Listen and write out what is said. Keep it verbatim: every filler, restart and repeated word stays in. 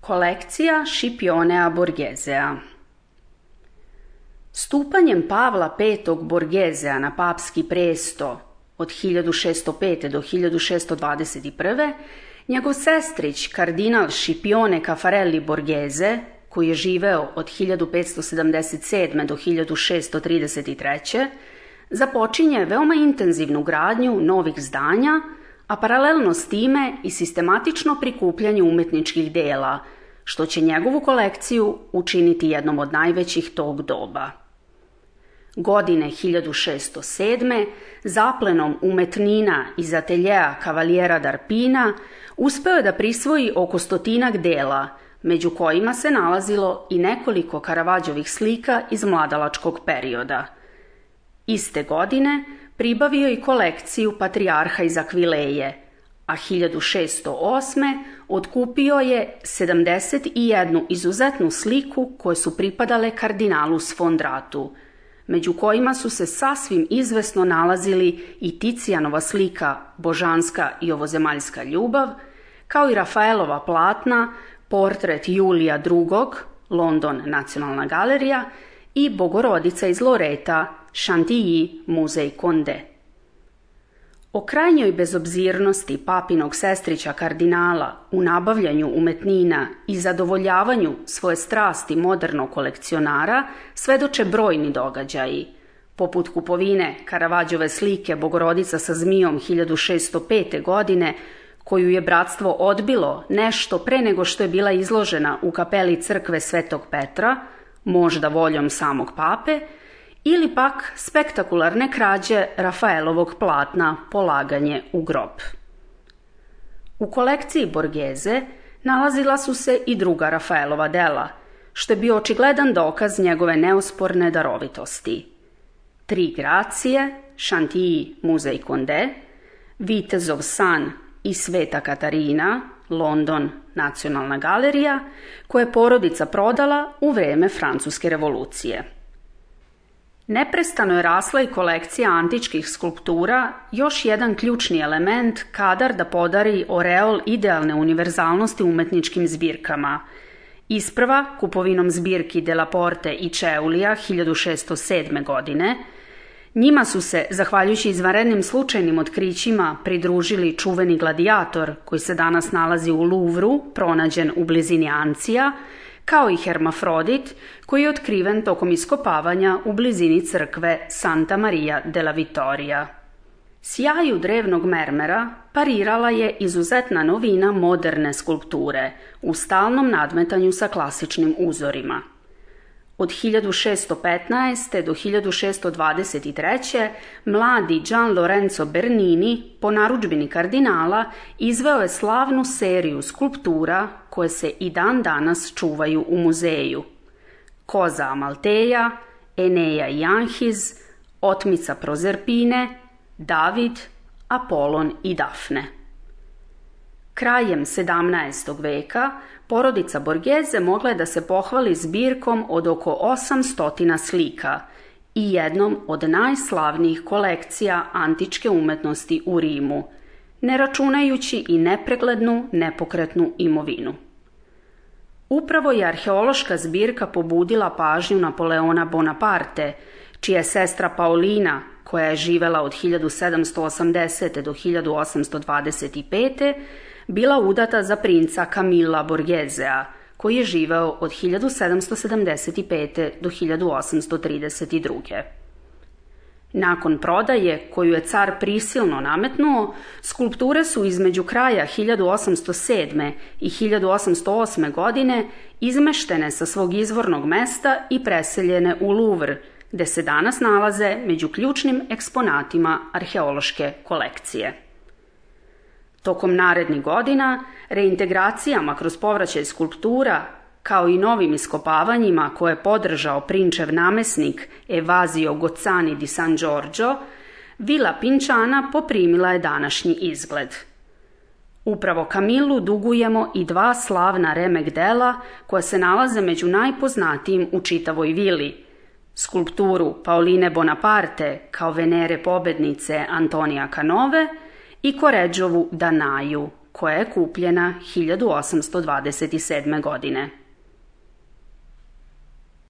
Kolekcija Scipionea Borghesea. Stupanjem Pavla petog Borghesea na papski presto od hiljadu šesto pete do hiljadu šesto dvadeset prve. njegov sestrić kardinal Scipione Caffarelli Borghese, koji je živeo od hiljadu petsto sedamdeset sedme do hiljadu šesto trideset treće. započinje veoma intenzivnu gradnju novih zdanja, a paralelno s time i sistematično prikupljanje umetničkih dela, što će njegovu kolekciju učiniti jednom od najvećih tog doba. Godine hiljadu šesto sedme. zaplenom umetnina iz ateljeja Cavaliera d'Arpina uspeo je da prisvoji oko stotinak dela, među kojima se nalazilo i nekoliko Karavadžovih slika iz mladalačkog perioda. Iste godine pribavio i kolekciju Patrijarha iz Akvileje, a hiljadu šesto osme. otkupio je sedamdeset jednu izuzetnu sliku koje su pripadale kardinalu Sfondratu, među kojima su se sasvim izvesno nalazili i Ticijanova slika Božanska i ovozemaljska ljubav, kao i Rafaelova platna, portret Julija drugog, London Nacionalna galerija, i Bogorodica iz Loreta, Chantilly, muzej Condé. O krajnjoj bezobzirnosti papinog sestrića kardinala u nabavljanju umetnina i zadovoljavanju svoje strasti modernog kolekcionara svedoče brojni događaji, poput kupovine Karavadžove slike Bogorodica sa zmijom hiljadu šesto pete. godine, koju je bratstvo odbilo nešto pre nego što je bila izložena u kapeli crkve Svetog Petra, možda voljom samog pape, ili pak spektakularne krađe Rafaelovog platna Polaganje u grob. U kolekciji Borghese nalazila su se i druga Rafaelova dela, što je bio očigledan dokaz njegove neosporne darovitosti. Tri Gracije, Chantilly, muzej Condé, Vitezov san i Sveta Katarina, London Nacionalna galerija, koje je porodica prodala u vreme Francuske revolucije. Neprestano je rasla i kolekcija antičkih skulptura, još jedan ključni element kadar da podari oreol idealne univerzalnosti umetničkim zbirkama. Isprva kupovinom zbirki Della Porte i Čeulija hiljadu šesto sedme. godine. Njima su se, zahvaljujući izvanrednim slučajnim otkrićima, pridružili čuveni gladijator, koji se danas nalazi u Louvru, pronađen u blizini Ancija, kao i Hermafrodit, koji je otkriven tokom iskopavanja u blizini crkve Santa Maria della Vittoria. Sjaju drevnog mermera parirala je izuzetna novina moderne skulpture u stalnom nadmetanju sa klasičnim uzorima. Od hiljadu šesto petnaeste. do hiljadu šesto dvadeset treće. mladi Gian Lorenzo Bernini, po narudžbini kardinala, izveo je slavnu seriju skulptura koje se i dan danas čuvaju u muzeju. Koza Amalteja, Eneja i Anhiz, Otmica Prozerpine, David, Apolon i Dafne. Krajem sedamnaestog. veka porodica Borghese mogla je da se pohvali zbirkom od oko osamsto slika i jednom od najslavnijih kolekcija antičke umetnosti u Rimu, ne računajući i nepreglednu nepokretnu imovinu. Upravo je arheološka zbirka pobudila pažnju Napoleona Bonaparte, čija je sestra Paolina, koja je živela od hiljadu sedamsto osamdesete. do hiljadu osamsto dvadeset pete. bila udata za princa Camilla Borghesea, koji je živeo od hiljadu sedamsto sedamdeset pete. do hiljadu osamsto trideset druge. Nakon prodaje, koju je car prisilno nametnuo, skulpture su između kraja hiljadu osamsto sedme. i hiljadu osamsto osme. godine izmeštene sa svog izvornog mesta i preseljene u Louvre, gde se danas nalaze među ključnim eksponatima arheološke kolekcije. Tokom narednih godina, reintegracijama kroz povraćaj skulptura, kao i novim iskopavanjima koje je podržao prinčev namesnik Evasio Gozzani di San Giorgio, vila Pinčana poprimila je današnji izgled. Upravo Camillu dugujemo i dva slavna remek dela koja se nalaze među najpoznatijim u čitavoj vili: skulpturu Paoline Bonaparte kao Venere pobednice Antonija Canove i Koređovu Danaju, koja je kupljena hiljadu osamsto dvadeset sedme godine.